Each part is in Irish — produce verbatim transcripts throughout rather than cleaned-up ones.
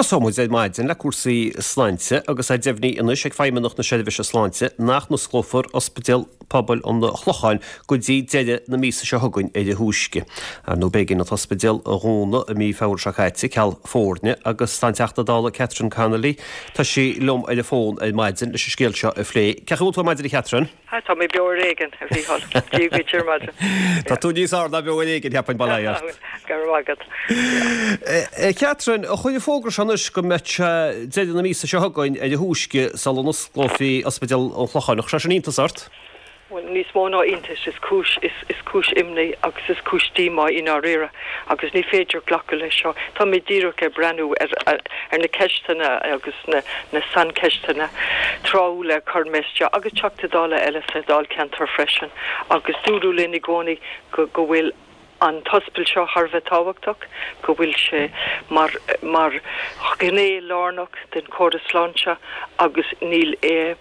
Tosóidh muid ar maidin le cúrsaí sláinte agus é deimhnithe anois ag Feidhmeannacht na Seirbhíse Sláinte nach n-osclófar Ospidéal Pobail an Chlocháin go dtí deireadh na míosa seo chugainn ar a thúisce. Ar ndóigh b'éigean an t-ospidéal a dhúnadh i mí Feabhra seo caite ceal foirne agus tá an Teachta Dála Catherine Connolly tá sí liom ar an bhfón ar maidin leis an scéal seo a phlé. Cén chaoi a bhfuil tú ar maidin a Chatherine? Tá mé beo ar éigean a Mhícheáil. Dia duit ar maidin. Tá tú níos fearr ná beo ar éigean cheapfainn bail ó Dhia ort. Go raibh maith agat. Catherine, chuir an fógra seo anois go mbeadh sé deireadh na míosa seo chugainn ar a thúisce sula n-osclófaí Ospidéal an Chlocháin. Chuir sé sin iontas ort? Well níos mó ná iontas is cúis is, is cúis imní agus is cúis díomá i ndáiríre agus ní féidir glacadh leis seo. Tá mé díreach ag breathnú ar, ar, ar na ceisteanna agus na, na saincheisteanna tráthúla a chuir mé isteach agus Teachtaí Dála eile sa Dáilcheantar freisin agus dúradh linn i gcónaí go, go bhfuil an t-ospidéal seo thar a bheith tábhachtach, go bhfuil sé mar mar ghné lárnach den chóras sláinte agus níl é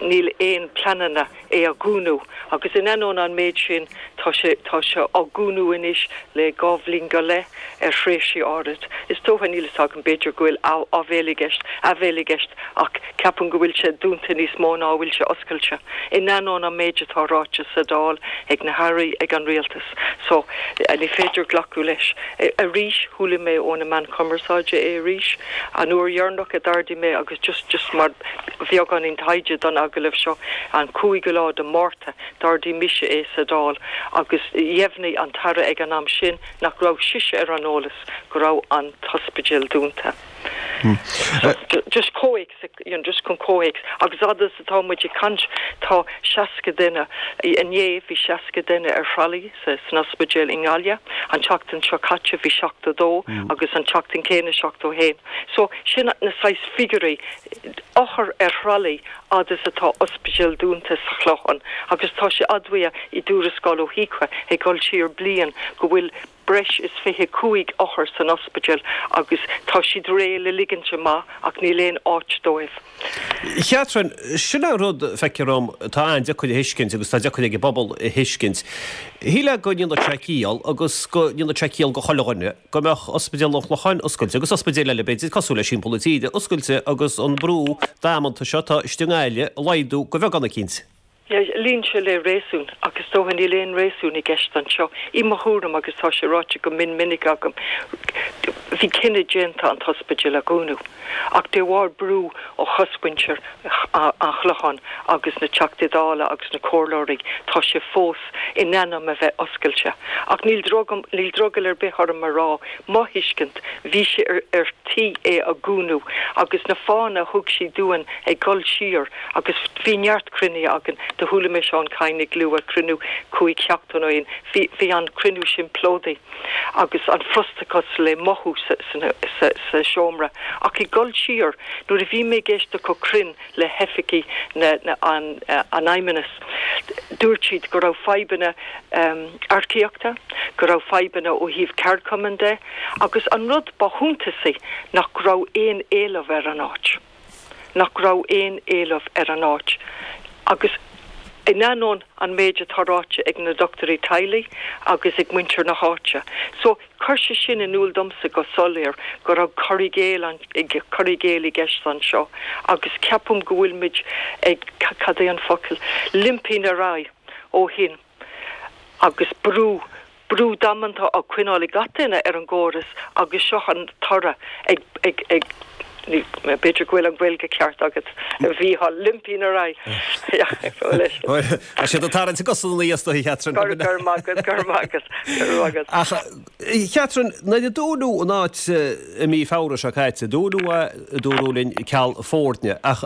níl aon pleananna é a dhúnadh agus in ainneoin an méid sin tá sé tá sé á dhúnadh anois le dhá bhliain go leith ar thréimhsí áirid. Is dócha níl a fhios agam b'fhéidir go bhfuil áibhéil i gceist áibhéil i gceist ach ceapaim go bhfuil sé dúnta níos mó ná bhfuil sé oscailte. In ainneoin an méid atá ráite sa Dáil ag na hairí ag an rialtas. So ní féidir glacadh leis. Arís chuala mé ó na meáin chumarsáide é arís an uair dheireanach a d'ardaigh mé agus just just mar bheagáinín taighde don agallamh seo an cúigiú lá de Mhárta d'ardaigh mise é sa Dáil agus dheimhnigh an tAire ag an am sin nach raibh sise ar an eolas go raibh an t-ospidéal dúnta. Hmm. So, just comhthéacs you know, just chun comhthéacs agus fhad is atá muid ag caint tá seasca duine inné bhí seasca duine ar thralaí sa san ospidéal i nGaillimh an tseachtain seo caite bhí seachtó dó mm. agus an tseachtain céanna seachtó haon. So sin na saghas figiúirí othar ar thralaí fhad is atá ospidéal dúnta sa Chlochán agus tá sé admhaithe i dtuarascáil ó HIQA ag dul siar bliain go bhfuil breis is fiche cúig othar san ospidéal agus tá siad réidh le ligint amach ach níl aon áit dóibh. Catherine, sin an rud feictear dom atá an-deacair a thuiscint agus tá deacair ag an bpobal a thuiscint. Shílfeá go ndéanfadh sé ciall agus go ndéanfadh sé ciall do chuile dhuine go mbeadh ospidéal an Chlocháin oscailte agus ospidéil eile b'fhéidir cosúil leis timpeall na tíre oscailte agus an brú damanta seo atá istigh i nGaillimh a laghdú go bheagán eicínt. Luíonn sé le réasún agus dócha níl aon réasún i gceist anseo. I mo thuairim agus tá sé ráite go mion minic agam. Bhí cinneadh déanta an t-ospidéal a dhúnadh. Ach de bharr brú ó chosmhuintir an Chlocháin agus na Teachtaí Dála agus na comhairleoirí tá sé fós in ainm a bheith oscailte. Ach níl níl drogall ar bith orm a rá mo thuiscint bhí sé ar, ar tí é a dhúnadh agus na fáthanna a thug siad dúinn ag dul siar agus bhí neart cruinnithe againn do chuala mé Seán Kyne ag lua cruinniú cúig seachtaine ó shin bhí bhí an cruinniú sin plódaithe agus an frustrachas le mothú sa, sa, sa, sa seomra ach ag dul siar nuair a bhí mé ag éisteacht go cruinn le hoifigigh na, na, an, uh, an fheidhmeannais dúirt siad go raibh fadhbanna um, earcaíochta, go raibh fadhbanna ó thaobh ceardchumann de, agus an rud ba shuntasaí nach raibh aon éileamh ar an áit. Nach raibh aon éileamh ar an áit. Agus in ainneoin an méid atá ráite ag na dochtúirí teaghlaigh agus ag muintir na háite. So chuir sé sin in iúl domsa go soiléir go raibh cur i gcéill cur i gcéill i gceist anseo agus ceapaim go bhfuil muid ag cad é an focal limping ar aghaidh ó shin agus brú brú damanta á choinneáil ag gach duine ar an gcóras agus seo an toradh ag ag ag b'fhéidir go bhfuil an Ghaeilge ceart agat bhí limping ar aghaidh sé tarraingt go na íosta Catherine gur magus gur magus gur Ach Catherine nuair a dúnadh an áit i mí Feabhra seo caite dúnadh é dúradh linn ceal foirne ach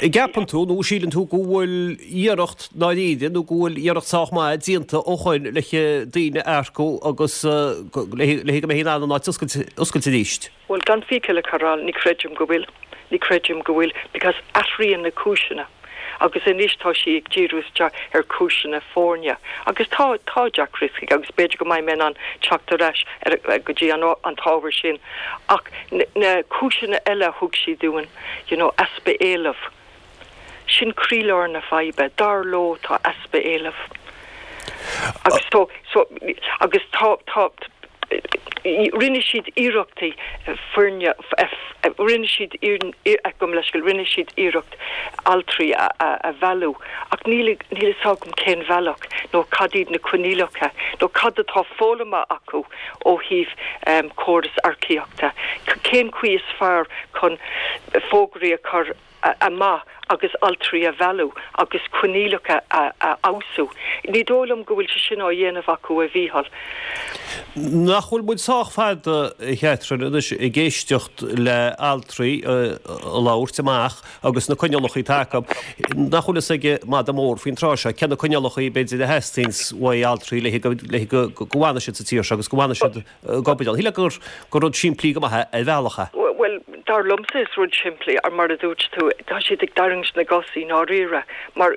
gceapann tú nó síleann tú go bhfuil iarracht dáiríre nó go bhfuil iarracht sách maith déanta ó shin le daoine a earcú agus le go mbeidh an áit oscailte arís. Well gan fiacail a chur, ní chreidim go bhfuil, ní chreidim go bhfuil, because athraíonn na cúiseanna. Agus anois tá sí ag díriú isteach ar chúiseanna foirne. Agus tá tá deacrachtaí agus b'fhéidir go mbeidh mé in ann teacht ar ais ar go dtí an an t-ábhar sin. Ach na cúiseanna eile thug siad dúinn, you know, easpa éileamh. Sin croílár na faidhbe, dar leo tá easpa éileamh. Agus so, so, agus tá tá Rinne siad iarrachtaí foirne, rinne siad gabh mo leithscéal, rinne siad iarracht altraí a a mhealladh ach níl níl a fhios agam cén bhealach nó cad iad na coinníollacha nó cad atá foghlamtha acu ó thaobh córas earcaíochta, cén chaoi is fearr chun fógraí a chur amach agus altraí a mhealladh agus coinníollacha a fheabhsú. Ní dóigh liom go bhfuil sé sin á dhéanamh acu, a Mhícheáil. Nach bhfuil muid sách fada, a Chatherine, anois ag éisteacht le altraí ag labhairt amach agus na coinníollacha atá acu, nach bhfuil fhios ag madadh mór faoin tráth seo cé na coinníollacha b'fhéidir a theastaíonns uaidh altraí le le go bhfanfaidh siad sa tír seo agus go bhfanfaidh siad ag obair ann. Shílfeá gur gur rud simplí go maith é ar bhealach é. Bhuel, dar liomsa is rud simplí, mar a dúirt tú, tá siad ag tarraingt na gcos i ndáiríre, mar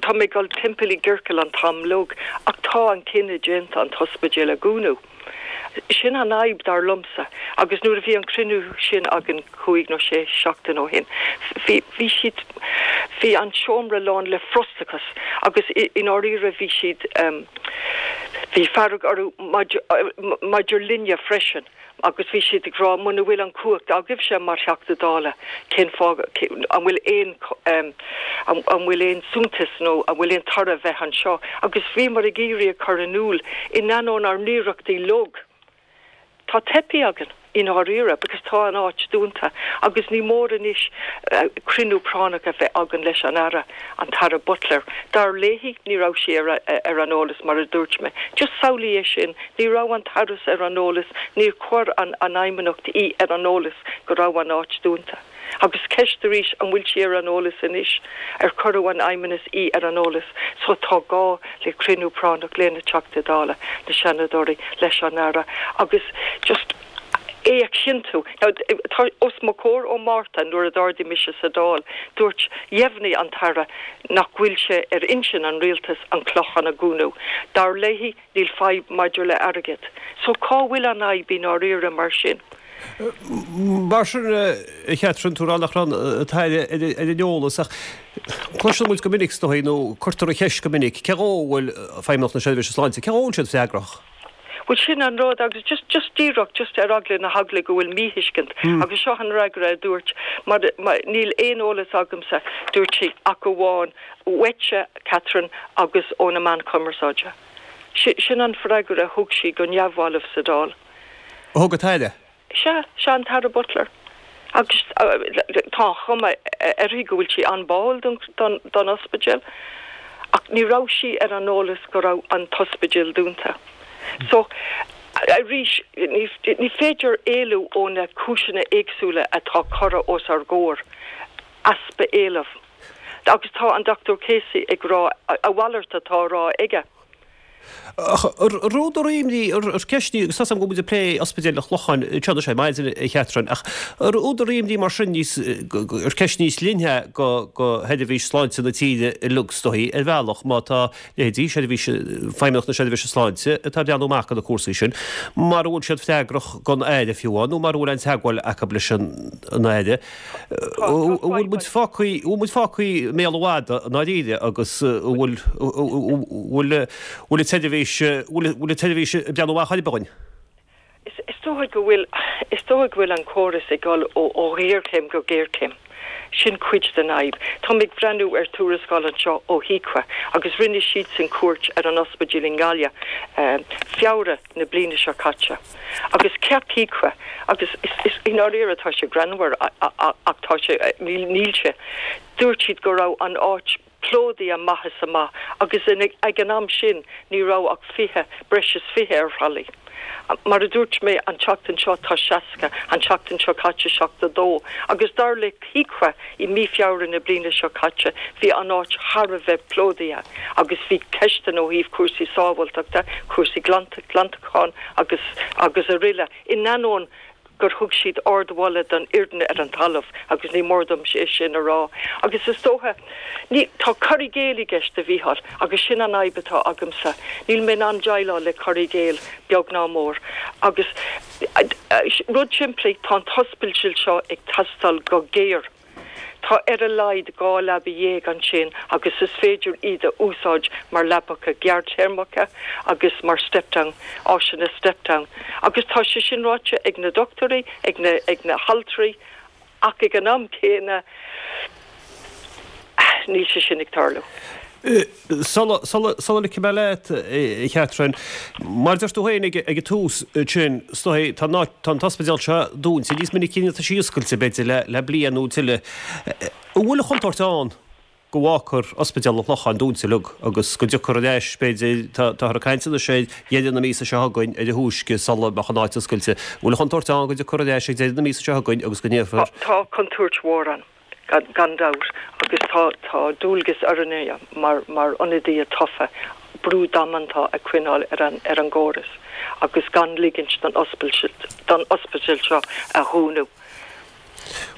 tá mé ag dul timpeall i gciorcal an t-am uilig, ach tá an cinneadh déanta an t-ospidéal a dhúnadh. Sin an fhadhb, dar liomsa. Agus nuair a bhí an cruinniú sin againn cúig nó sé seachtain ó shin, bhí, bhí siad, bhí an seomra lán le frustrachas agus i ndáiríre bhí siad, bhí fearg orthu maidir, maidir linne freisin. Agus bhí siad ag rá, muna bhfuil an chumhacht agaibhse mar Theachta Dála, cén fáth, an bhfuil aon, an bhfuil aon suntas nó an bhfuil aon toradh bheith anseo? Agus bhíomar ag iarraidh a chur in iúl, in ainneoin ár n-iarrachtaí uilig, tá teipthe againn. I ndáiríre, because tá an áit dúnta agus ní mór anois cruinniú práinneach a bheith againn leis an Aire, an tAire Butler. Dar léi, ní raibh sí ar ar an eolas, mar a dúirt mé. Just samhlaigh é sin, ní raibh an tAire ar an eolas, níor chuir an an Fheidhmeannacht í ar an eolas go raibh an áit dúnta. Agus ceist arís, an bhfuil sí ar an eolas anois? Ar cuireadh an Fheidhmeannas í ar an eolas? So tá gá le cruinniú práinneach le na Teachtaí Dála, na Seanadóirí, leis an Aire agus just é a chinntiú. Now tá os mo chomhair ó Márta nuair a d'ardaigh mise sa Dáil, dúirt, dheimhnigh an tAire nach bhfuil sé ar intinn an Rialtais an Clochán a dhúnadh. Dar léi, níl fadhb maidir le airgead. So cá bhfuil an fhadhb i ndáiríre mar sin? Mar sin, a Chatherine, tú ag rá nach raibh an tAire ar an eolas ach cloiseann muid go minic, is dóigh, nó cuirtear an cheist go minic, cé dhó a bhfuil Feidhmeannacht na Seirbhíse Sláinte, cé dhó a bhfuil siad freagrach? Bhuel, sin an rud agus just, just díreach, just ar eagla na heagla go bhfuil míthuiscint agus seo an fhreagra a dúirt, mar, mar, níl aon eolas agamsa, dúirt sí, ach amháin uaitse, Catherine, agus ó na meáin chumarsáide. Sin an freagra a thug sí go neamhbhalbh sa Dáil. A thug an tAire? Sea, sea, an tAire Butler. Agus tá an chuma uirthi go bhfuil sí an-bháúil don, don ospidéal, ach ní raibh sí ar an eolas go raibh an t-ospidéal dúnta. So, arís, ní, ní féidir éalú ó na cúiseanna éagsúla atá curtha os ár gcomhair, easpa éilimh. Agus tá an Dochtúir Casey ag rá a mhalairt atá á rá aige. Ach ar údar imní, ar ceist í, agus tá 's agam go bhfuil muid ag plé Ospidéal an Chlocháin anseo anois ar maidin, a Chatherine, ach ar údar imní mar sin níos, ar ceist níos leithne go sheirbhís sláinte na tíre uilig is dóichí, ar bhealach, má tá leithéidí seirbhís, Feidhmeannacht na Seirbhíse Sláinte atá ag breathnú amach do na cúrsaí sin, mara bhfuil siad freagrach don Aire fiú amháin, nó mara bhfuil aon teagmháil acu leis an Aire. An bhfuil muid fágtha, an bhfuil muid fágtha i mbéal an mhadaidh i ndáiríre agus an bhfuil, an bhfuil, an bhfuil an tseirbhís, an bhfuil an tseirbhís ag breathnú amach chor ar bith dhúinn? Is dóigh go bhfuil, is dóigh go bhfuil an córas ag dul ó ó ghéarchéim go géarchéim. Sin cuid den fhadhb. Tá mé ag breathnú ar tuarascáil anseo ó HIQA agus rinne siadsan cuairt ar an ospidéal i nGaillimh, Feabhra na bliana seo caite. Agus cheap HIQA, agus is i ndáiríre tá sé greannmhar ach tá sé, níl sé, dúirt siad go raibh an áit plódaithe amach is amach agus ag an am sin ní raibh ach fiche, breis is fiche ar thralaí. Mar a dúirt mé an tseachtain seo tá seasca, an tseachtain seo caite seachtó dó agus dar le HIQA i mí Feabhra na bliana seo caite bhí an áit thar a bheith plódaithe agus bhí ceisteanna ó thaobh cúrsaí sábháilteachta, cúrsaí glantacháin agus agus aroile. In ainneoin gur thug siad ardmholadh don fhoireann ar an talamh agus ní mór dom é sin a rá. Agus is dócha, ní, tá cur i gcéill i gceist, a Mhícheáil, agus sin an fhadhb atá agamsa. Níl mé in ann déileáil le cur i gcéill, beag ná mór. Agus rud simplí, tá an t-ospidéal seo ag teastáil go géar. Tá ar a laghad dhá leaba dhéag ansin agus is féidir iad a úsáid mar leapacha gearrthéarmacha agus mar step-down, áiseanna step-down. Agus tá sé sin ráite ag na dochtúirí, ag na, ag na haltraí, ach ag an am céanna níl sé sin ag tarlú. Sula ligfidh mé leat, a Chatherine, mar a deir tú féin ag an tús sin, is dóigh, tá an t-ospidéal seo dúnta níos minicí ná tá sé oscailte, b'fhéidir, le bliain nó tuilleadh. An bhfuil an chontúirt ann go bhfágfar Ospidéal an Chlocháin dúnta uilig agus go dtiocfar ar ais, b'fhéidir, táthar ag caint anois ar dheireadh na míosa seo chugainn ar a thúisce sula mbeadh an áit oscailte. An bhfuil an chontúirt ann go dtiocfar ar ais ag deireadh na míosa seo chugainn agus go ndéarfar. Tá contúirt mhór ann. Gan dabht, agus tá tá dualgas orainne mar mar ionadaithe tofa brú damanta a choinneáil ar an ar an gcóras agus gan ligint don don ospidéal seo a dhúnadh.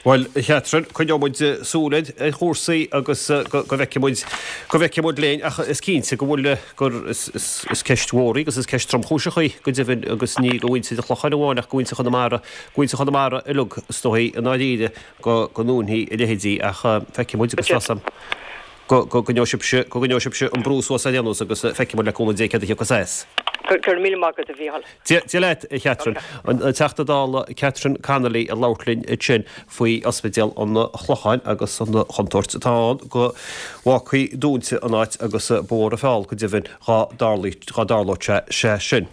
Bhuel, a Chatherine, coinneoidh muid súil ar chúrsaí agus go bhfeicfidh muid go bhfeicfidh muid linn ach is cinnte go bhfuil gur is is ceist mhór í agus is ceist tromchúiseach í go deimhin agus ní do mhuintir an Chlocháin amháin ach do mhuintir Chonamara, do mhuintir Chonamara uilig is dóigh i ndáiríre. go ndúnfaí a leithéidí ach feicfidh muid agus tá 's a'm go gcoinneoidh sibhse, go gcoinneoidh sibhse an brú suas ar aon nós agus feicfidh muid le cúnamh Dé céard a thiocfas as. Go raibh míle maith agat a Mhícheáil. Dia leat, a Chatherine. An Teachta Dála Catherine Connolly ag labhairt linn ansin faoi Ospidéal an Chlocháin agus an chontúirt atá ann go bhfágfaí dúnta an áit agus ba mhór an feall go deimhin dhá dtarlódh sé sin.